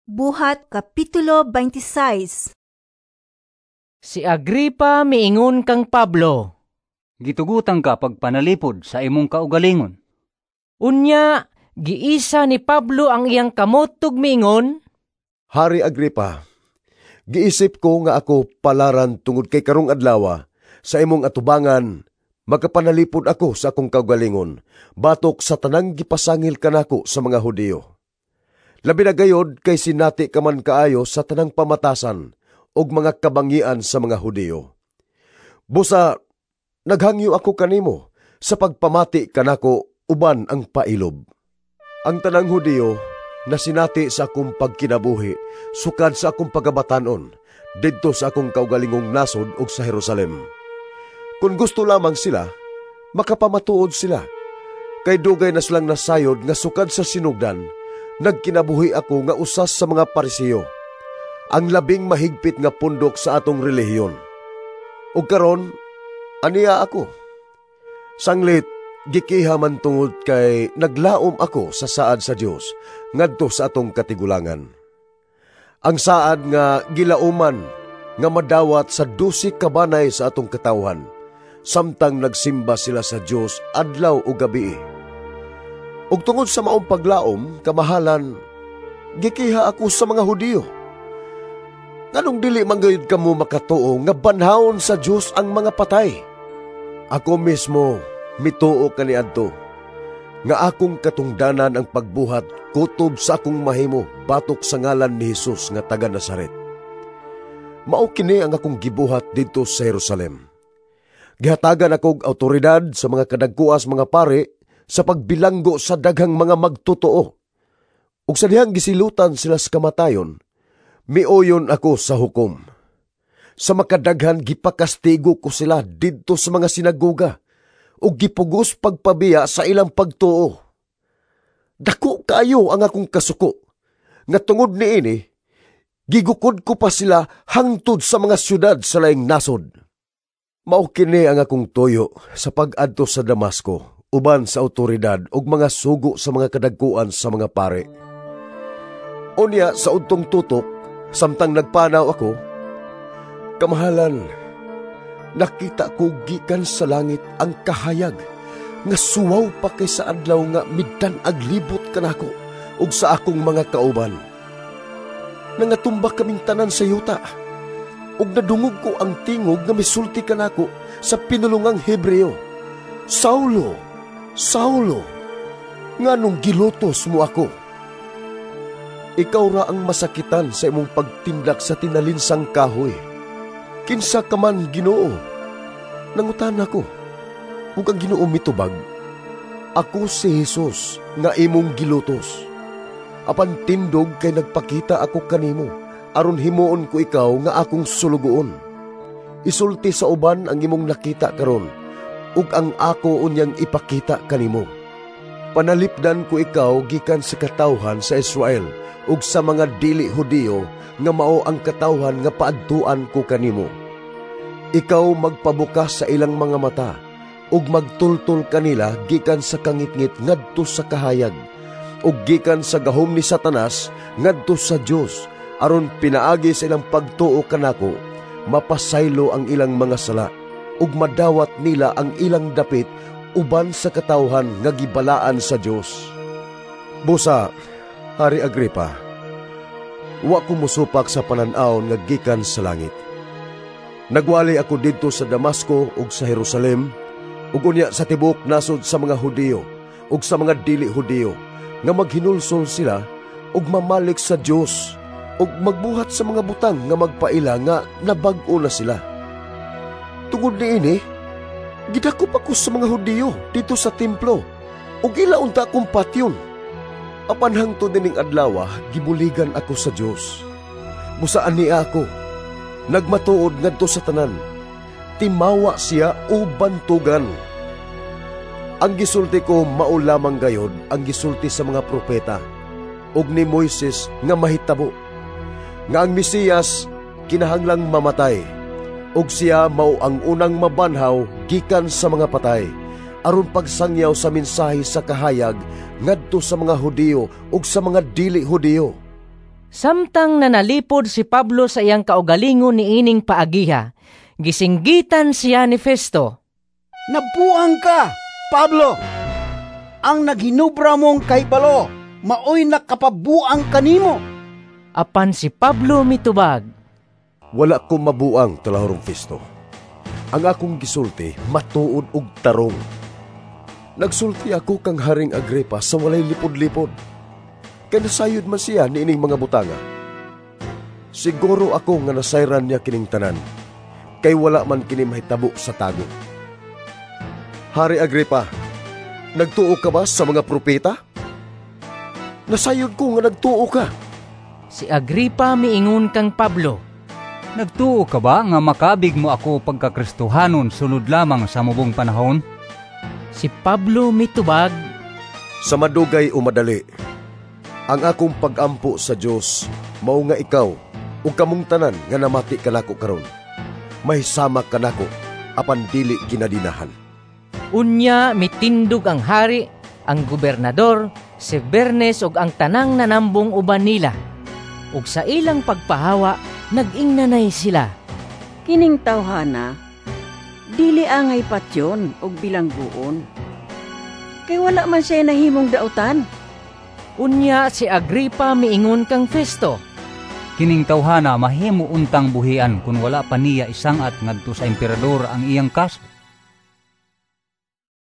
Buhat Kapitulo 26. Si Agripa miingon kang Pablo, "Gitugutan ka pagpanalipod sa imong kaugalingon." Unya, giisa ni Pablo ang iyang kamot ug miingon, "Hari Agripa, giisip ko nga ako palaran tungod kay karong adlaw sa imong atubangan makapanalipod ako sa akong kaugalingon batok sa tanang gipasangil kanako sa mga Hudiyo. Labi na gayod kay sinati ka man kaayo sa tanang pamatasan ug mga kabangian sa mga Hudiyo. Busa naghangyo ako kanimo sa pagpamati kanako uban ang pailob. Ang tanang Hudiyo na sinati sa akong pagkinabuhi sukad sa akong pagabatanon didto sa akong kaugalingong nasod ug sa Jerusalem. Kung gusto lamang sila, makapamatuod sila. Kay dugay na silang nasayod nga sukad sa sinugdan, nagkinabuhi ako nga usas sa mga Pariseo, ang labing mahigpit nga pundok sa atong relihiyon. Ug karon, aniya ako. Sanglit, gikiha man tungod kay naglaom ako sa saad sa Dios ngadto sa atong katigulangan. Ang saad nga gilauman nga madawat sa 12 kabanay sa atong katawhan, samtang nagsimba sila sa Dios adlaw ug gabi. Ug tungod sa maong paglaom, kamahalan, gikiha ako sa mga Hudiyo. Nganong dili man gayud kamo makatuo nga banhawon sa Dios ang mga patay? Ako mismo mituo kaniadto nga akong katungdanan ang pagbuhat kutob sa akong mahimo batok sa ngalan ni Hesus nga taga Nazaret. Mao kini ang akong gibuhat didto sa Jerusalem. Gihatagan akog awtoridad sa mga kadagkuas mga pare sa pagbilanggo sa daghang mga magtotoo. Ug sa dihang gisilutan sila sa kamatayon, miuyon ako sa hukom. Sa makadaghan gipakastigo ko sila didto sa mga sinagoga ug gipugos pagpabiya sa ilang pagtuo. Dako kaayo ang akong kasuko, nga tungod niini, gigukod ko pa sila hangtod sa mga syudad sa laing nasod. Mao kini ang akong tuyo sa pag-adto sa Damasco, uban sa awtoridad ug mga sugo sa mga kadagkuan sa mga pare. Unya sa udtong tutok, samtang nagpanaw ako, kamahalan, nakita ko gikan sa langit ang kahayag nga suwaw pa kay sa adlaw nga midan-ag libot kanako ug sa akong mga kauban. Nangatumba kaming tanan sa yuta, ug nadungog ko ang tingog nga misulti kanako sa pinulungang Hebreo, 'Saulo, Saulo, nganong gilutos mo ako? Ikaw ra ang masakitan sa imong pagtindak sa tinalinsang kahoy.' 'Kinsa ka man, Ginoo?' nangutan ako. Ug ang Ginoo mitubag, 'Ako si Jesus nga imong gilutos. Apan tindog kay nagpakita ako kanimo, aron himuon ko ikaw nga akong sulugoon. Isulti sa uban ang imong nakita karon, ug ang ako unyang ipakita kanimo. Panalipdan ko ikaw gikan sa katawhan sa Israel ug sa mga dili Hudiyo nga mao ang katawhan nga paadtuan ko kanimo. Ikaw magpabukas sa ilang mga mata ug magtultol kanila gikan sa kangitngit ngadto sa kahayag ug gikan sa gahom ni Satanas ngadto sa Dios, aron pinaagi sa ilang pagtuo kanako mapasaylo ang ilang mga sala ug madawat nila ang ilang dapit uban sa katawhan nga gibalaan sa Dios. Busa, Hari Agripa, wa ko mosupak sa panan-awon nga gikan sa langit. Nagwali ako didto sa Damasco ug sa Jerusalem, ug unya sa tibuok nasod sa mga Hudiyo ug sa mga dili Hudiyo, nga maghinulsol sila ug mamalik sa Dios ug magbuhat sa mga butang nga magpaila nga nabag-o na sila. Tungod niini, gidakop ako sa mga Hudiyo dito sa templo ug ila unta akong patyon. Apan hangtod nining adlaw, gibuligan ako sa Dios. Busaan niya ako, nagmatuod ngadto sa tanan, timawa siya o bantugan. Ang gisulti ko mao lamang gayod ang gisulti sa mga propeta ug ni Moises nga mahitabo, nga ang Mesiyas kinahanglang mamatay, ug siya mao ang unang mabanhaw gikan sa mga patay, aron pagsangyaw sa mensahe sa kahayag ngadto sa mga Hudiyo ug sa mga dili Hudiyo." Samtang nanalipod si Pablo sa iyang kaugalingon niining paagiha, gisinggitan siya ni Festo. Nabuang ka, Pablo! Ang naghinubra mong kahibalo, maoy nakapabuang kanimo. Apan si Pablo mitubag, "Wala ko mabuang, Talahorong Festo. Ang akong gisulti matuod og tarong. Nagsulti ako kang Haring Agripa sa walay lipod-lipod. Kay nasayod man siya niining mga butanga. Siguro ako nga nasayran niya kining tanan, kay wala man kini mahitabo sa tago. Hari Agripa, nagtuo ka ba sa mga propeta? Nasayod ko nga nagtuo ka." Si Agripa miingon kang Pablo, "Nagtuo ka ba nga makabig mo ako pagkakristohanon sunod lamang sa mubong panahon?" Si Pablo mitubag, "Sa madugay o madali, ang akong pagampo sa Dios mao nga ikaw ug kamong tanan nga namati kanako karon, mahisama kanako apan dili kinadinahan." Unya mitindog ang hari, ang gobernador, si Bernes ug ang tanang nanambong uban nila. Ug sa ilang pagpahawa, nag-ingnanay sila. "Kining tawhana, dili angay patyon og bilangguon. Kay wala man siya nahimong dautan." Unya si Agripa miingon kang Festo, "Kining tawhana mahimo untang buhian kun wala pa niya isangat ngadto sa emperador ang iyang kaso."